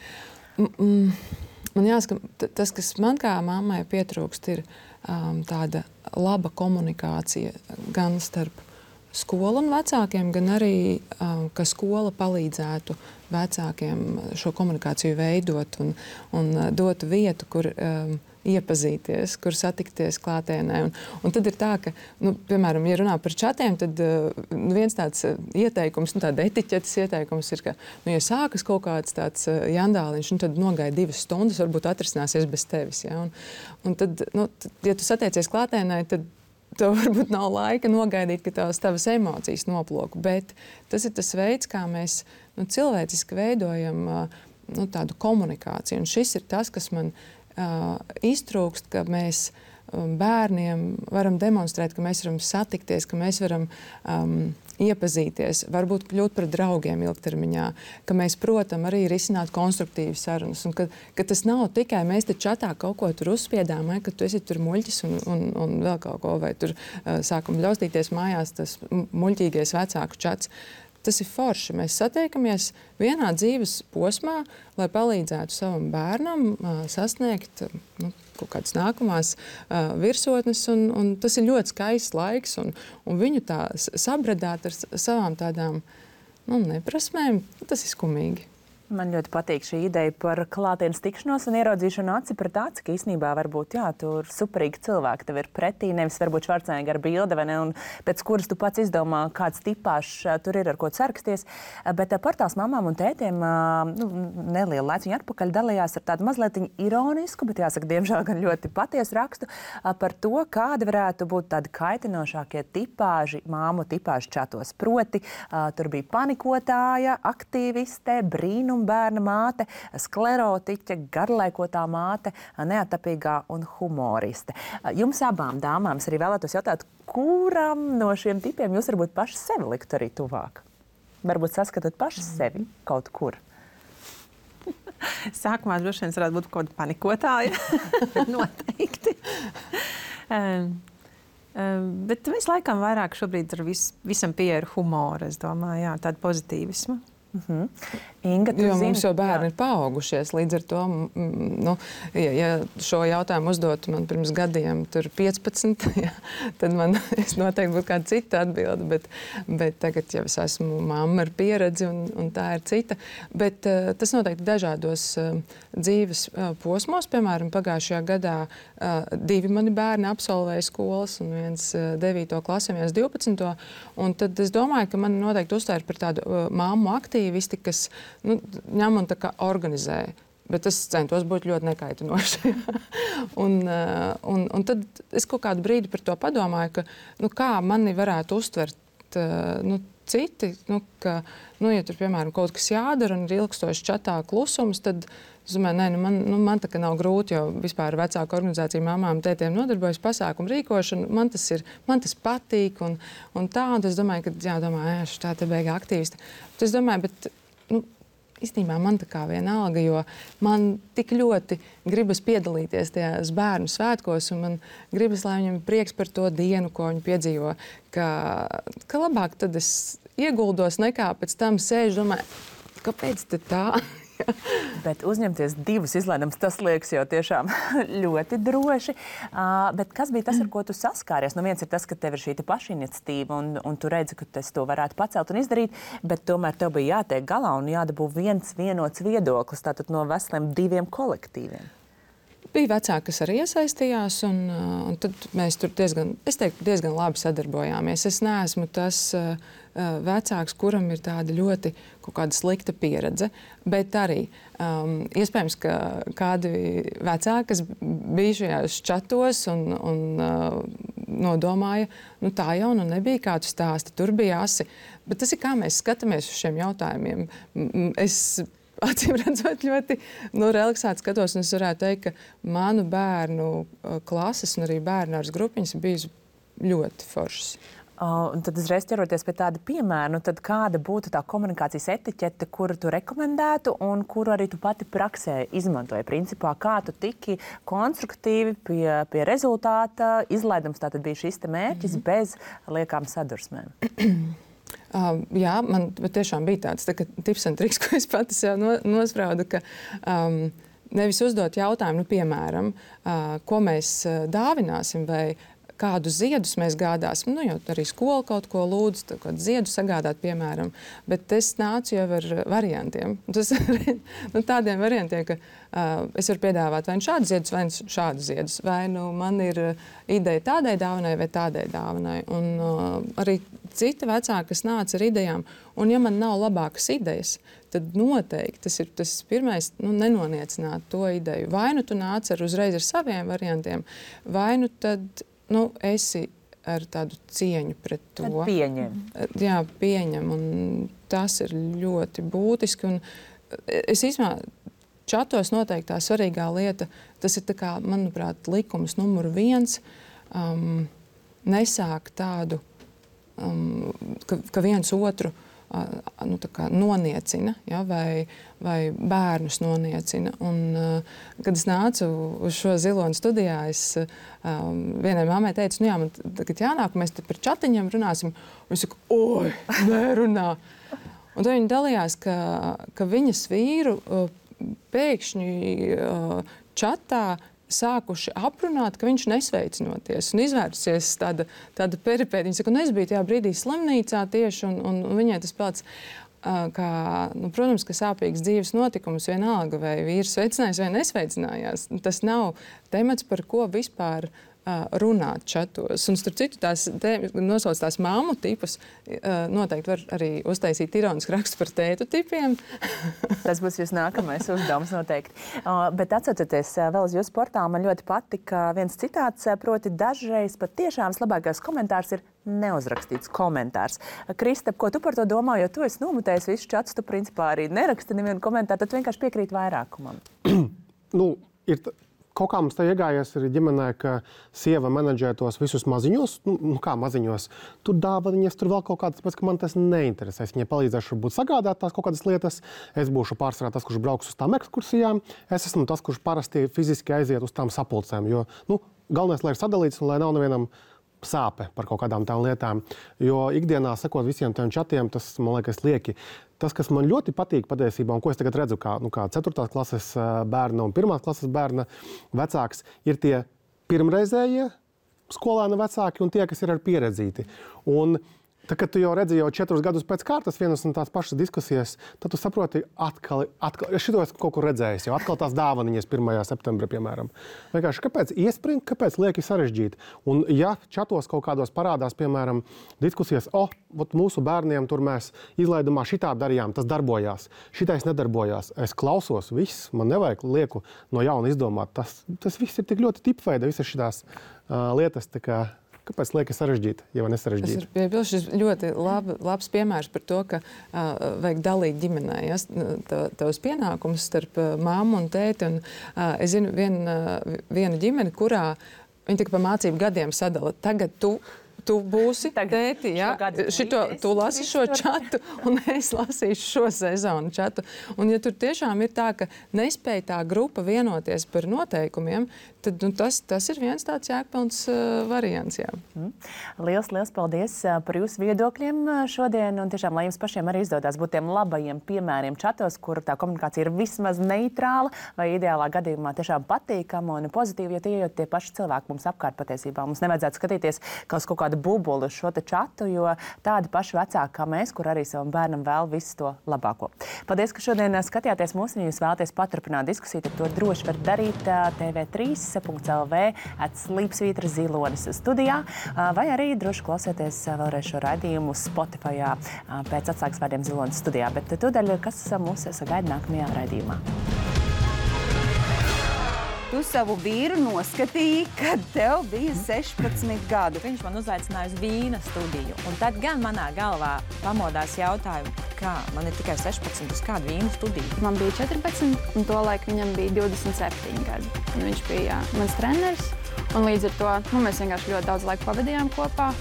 Mm, mm. Man jāsaka, tas, kas man kā mammai pietrūkst, ir um, tāda laba komunikācija gan starp skolu un vecākiem, gan arī, um, ka skola palīdzētu vecākiem šo komunikāciju veidot un, un dotu vietu, kur um, iepazīties, kur satikties klātienē. Un, un tad ir tā, ka, nu, piemēram, ja runā par čatiem, tad uh, viens tāds ieteikums, nu, tāda etiķetes ieteikums ir, ka, nu, ja sākas kaut kāds tāds uh, jandāliņš, nu, tad nogaida divas stundas, varbūt atrisināsies bez tevis. Ja? Un, un tad, nu, tad, ja tu satiecies klātienē, tad tev varbūt nav laika nogaidīt, ka tavas, tavas emocijas noplok. Bet tas ir tas veids, kā mēs nu, cilvēciski veidojam uh, nu, tādu komunikāciju. Un šis ir tas, kas man Uh, iztrūkst, ka mēs um, bērniem varam demonstrēt, ka mēs varam satikties, ka mēs varam um, iepazīties, varbūt kļūt par draugiem ilgtermiņā, ka mēs, protam, arī risināt konstruktīvas sarunas. Un ka, ka tas nav tikai mēs te čatā kaut ko tur uzspiedām, vai, ka tu esi tur muļķis un, un, un vēl kaut ko, vai tur uh, sākam ļaustīties mājās tas muļķīgais vecāku čats. Tas ir forši. Mēs satiekamies vienā dzīves posmā, lai palīdzētu savam bērnam uh, sasniegt nu, kaut kādas nākamās uh, virsotnes. Un, un tas ir ļoti skaists laiks, un, un viņu tā sabradāt ar savām tādām nu, neprasmēm, tas ir skumīgi. Man ļoti patīk šī ideja par klātienes tikšanos un ieraudzīšanu aci pret aci, ka īstenībā varbūt, jā, tur superīgi cilvēki tev ir pretī, nevis varbūt Švarcnegera bilde, vai ne, un pēc kuras tu pats izdomā, kāds tipāšs tur ir, ar ko sarksties. Bet portāls mamām un tētiem, nu, nelielu laiciņu atpakaļ dalījās ar tādu mazliet ironisku, bet jāsaka, diemžēl gan ļoti patiesu rakstu par to, kāda varētu būt tādi kaitinošākie tipāži, māmu tipāži čatos. Proti, tur bija panikotāja, aktīviste, brīnum autizma bērna māte, sklerotiķe, garlaikotā māte, neatapīgā un humoriste. Jums abām dāmām es arī vēlētos jautāt, kuram no šiem tipiem jūs varbūt paši sevi liktu arī tuvāk? Varbūt saskatāt paši sevi kaut kur? Sākumā droši vien varētu būt kaut kāda panikotāja. Noteikti. um, um, bet mēs laikam vairāk šobrīd ar vis, visam pieeja ar humoru, es domāju, jā, tādu pozitīvismu. Uh-huh. Inga, tu jo zini, mums jau bērni jā. ir paaugušies, līdz ar to, nu, ja, ja šo jautājumu uzdotu man pirms gadiem, tur piecpadsmit, ja, tad man es noteikti būtu kāda cita atbilde, bet, bet tagad jau es esmu mamma ar pieredzi un, un tā ir cita. Bet uh, tas noteikti dažādos uh, dzīves uh, posmos, piemēram, pagājušajā gadā uh, divi mani bērni absolvēja skolas un viens uh, devīto klasi, viens divpadsmito, un tad es domāju, ka man noteikti uztvēr par tādu uh, māmu aktīvisti, kas nu, ņem un tā kā organizē. Bet es centos būt ļoti nekaitinoši. un, un, un tad es kaut kādu brīdi par to padomāju, ka, nu, kā mani varētu uztvert nu, citi, nu, ka, nu, ja tur, piemēram, kaut kas jādara un ir ilgstoši čatā klusums, tad es domāju, nē, nu, man, nu, man tā kā nav grūti, jo vispār vecāku organizāciju mamām, tētiem nodarbojas pasākumu rīkošanu, man tas ir, man tas patīk un, un tā, un es domāju, ka, jā, domāju, ēš, tā te beigā aktīvisti. Bet es domāju, bet, nu, īstenībā man tā kā vienalga, jo man tik ļoti gribas piedalīties tajās bērnu svētkos, un man gribas, lai viņam ir prieks par to dienu, ko viņi piedzīvo, ka, ka labāk tad es ieguldos nekā pēc tam sēžu, domāju, kāpēc te tā? Bet uzņemties divus izlaidumus, tas liekas jau tiešām ļoti droši. Uh, bet kas bija tas, ar ko tu saskāries? Nu, viens ir tas, ka tev ir šī pašiniciatīva un, un tu redzi, ka tu to varētu pacelt un izdarīt, bet tomēr tev bija jātiek galā un jādabū viens vienots viedoklis, tātad no veseliem diviem kolektīviem. Bija vecāki, kas arī iesaistījās, un, un tad mēs tur diezgan, es teiktu, diezgan labi sadarbojāmies. Es neesmu tas uh, vecāks, kuram ir tāda ļoti kaut kāda slikta pieredze, bet arī um, iespējams, ka kādi vecāki, kas bija šajās čatos un, un uh, nodomāja, nu tā jau nu nebija kā tu stāsti, tur bija asi. Bet tas ir kā mēs skatāmies uz šiem jautājumiem. Es acīm redzot, ļoti nu, relaksēti skatos, un es varētu teikt, ka manu bērnu klases un arī bērnu ārs grupiņas bija ļoti foršas. Uh, un tad uzreiz ķeroties pie tāda piemēra, nu tad kāda būtu tā komunikācijas etiķete, kuru tu rekomendētu un kuru arī tu pati praksē izmantoji? Principā, kā tu tiki konstruktīvi pie, pie rezultāta, izlaidums tātad bija šis te mērķis mm-hmm. bez liekām sadursmēm? Uh, jā, man tiešām bija tāds tā, tips un triks, ko es pati sev no, nospraudu, ka um, nevis uzdot jautājumu, nu, piemēram, uh, ko mēs uh, dāvināsim vai kādus ziedus mēs gādāsim. Nu, jo arī skola kaut ko lūdz, kādu ziedu sagādāt, piemēram. Bet es nācu jau ar variantiem. Tas, nu, tādiem variantiem, ka uh, es varu piedāvāt vai nu šādus ziedus, vai nu šādus ziedus. Vai nu man ir ideja tādai dāvanai vai tādai dāvanai. Un uh, arī citi vecāki, kas nāca ar idejām. Un ja man nav labākas idejas, tad noteikti tas ir tas pirmais, nu, nenoniecināt to ideju. Vai nu tu nāc ar uzreiz ar saviem variantiem, vai nu tad nu, esi ar tādu cieņu pret to. Tad pieņem. Jā, pieņem, un tas ir ļoti būtiski. Un es īstenībā čatos noteikti tā svarīgā lieta, tas ir tā kā, manuprāt, likums numur viens, um, nesāk tādu, um, ka, ka viens otru uh, nu, tā kā noniecina, ja, vai, vai bērnus noniecina. Un, uh, kad es nācu uz šo Ziloņu studijā, es um, vienai mammai teicu, nu jā, man tagad jānāk, mēs te par čatiņiem runāsim. Un es saku, oi, nē, runā. Un tad viņi dalījās, ka, ka viņas vīru uh, pēkšņi uh, čatā sākuši aprunāt, ka viņš nesveicinoties un izvērsies tāda, tāda peripēta. Viņa saka, un es biju tajā brīdī slimnīcā tieši, un, un, un viņai tas pats, uh, kā, nu, protams, ka sāpīgs dzīves notikums vienalga, vai vīrs sveicinājās vai nesveicinājās. Tas nav temats, par ko vispār runāt čatos. Un, starp citu, tās nosauc tās māmu tipus, noteikti var arī uztaisīt ironisku rakstu par tētu tipiem. Tas būs jūs nākamais uzdevums noteikti. Uh, bet atcaucoties uh, vēl uz jūsu portālu, man ļoti patika viens citāts, uh, proti dažreiz pat tiešām vislabākais komentārs ir neuzrakstīts komentārs. Uh, Kristap, ko tu par to domā, jo tu esi nomutējis visu čats, tu principā arī neraksti nevienu komentāru, tad vienkārši piekrīt vairākumam. nu, ir t... Kaut kā mums tā iegājies arī ģimenē, ka sieva menedžē tos visus maziņos, nu, nu kā maziņos, tur dāvaniņas, tur vēl kaut kādas, tāpēc, ka man tas neinteresē. Es viņai palīdzēšu būt sagādāt tās kaut kādas lietas, es būšu pārsvarā tas, kurš brauks uz tām ekskursijām, es esmu tas, kurš parasti fiziski aiziet uz tām sapulcēm, jo, nu, galvenais, lai ir sadalīts un lai nav nevienam sāpe par kaut kādām tām lietām, jo ikdienā sekot visiem tiem čatiem, tas, man liekas, lieki. Tas, kas man ļoti patīk patiesībā, un ko es tagad redzu kā, nu, kā ceturtās klases bērna un pirmās klases bērna vecāks, ir tie pirmreizējie skolēna vecāki un tie, kas ir ar pieredzīti. Un tā, kad tu jau redzi jau četrus gadus pēc kārtas vienas un tās pašas diskusijas, tad tu saproti atkal, atkal šito es kaut kur redzējis, jau atkal tās dāvaniņas pirmajā septembrī, piemēram. Vienkārši, kāpēc iespringt, kāpēc lieki sarežģīt? Un ja čatos kaut kādos parādās, piemēram, diskusijas, o, oh, mūsu bērniem tur mēs izlaidumā šitā darījām, tas darbojās, šitais nedarbojās. Es klausos, viss, man nevajag lieku no jauna izdomāt. Tas, tas viss ir tik ļoti tipveida, visas šitās uh, lietas, tā kā kāpēc liekas sarežģīt, ja nesarežģīt? Es piebildu, šis ļoti labi, labs piemērs par to, ka uh, vajag dalīt ģimenē, ja, tavus pienākumus starp uh, māmu un tēti. Un, uh, es zinu vienu, uh, vienu ģimeni, kurā viņi tikai pa mācību gadiem sadala. Tagad tu, tu būsi tēti, ja? Šito, tu lasi šo čatu, un es lasīšu šo sezonu čatu. Un ja tur tiešām ir tā, ka nespēj tā grupa vienoties par noteikumiem, tad nu, tas, tas ir viens tāds jēgpilns uh, variants. Jā. Mm. Liels, liels paldies uh, par jūsu viedokļiem uh, šodien. Un tiešām, lai jums pašiem arī izdodas būt tiem labajiem piemēriem čatos, kur tā komunikācija ir vismaz neitrāla vai ideālā gadījumā tiešām patīkama un pozitīva, jo tie jau tie paši cilvēki mums apkārt patiesībā. Mums nevajadzētu skatīties kā uz kaut kādu bubuli uz šo te čatu, jo tādi paši vecāki kā mēs, kur arī savam bērnam vēl visu to labāko. Paldies, ka šodien skatījāties mūs, un ja jūs vēlaties paturpināt diskusiju, tad to droši var darīt uh, T V trīs. .lv at Slīpsvītra Zilonis studijā, vai arī droši klausieties vēlreiz šo raidījumu Spotify pēc atslēgas vārdiem Zilonis studijā. Bet tūdaļ, kas mūs sagaida nākamajā raidījumā. Tu savu vīru noskatīji, kad tev bija sešpadsmit gadu. Viņš man uzaicināja uz vīna studiju. Un tad gan manā galvā pamodās jautājumu, kā man ir tikai sešpadsmit, uz kādu vīnu studiju. Man bija četrpadsmit, un tolaik viņam bija divdesmit septiņi gadi. Un viņš bija mans treneris, un līdz ar to nu, mēs vienkārši ļoti daudz laika pavadījām kopā.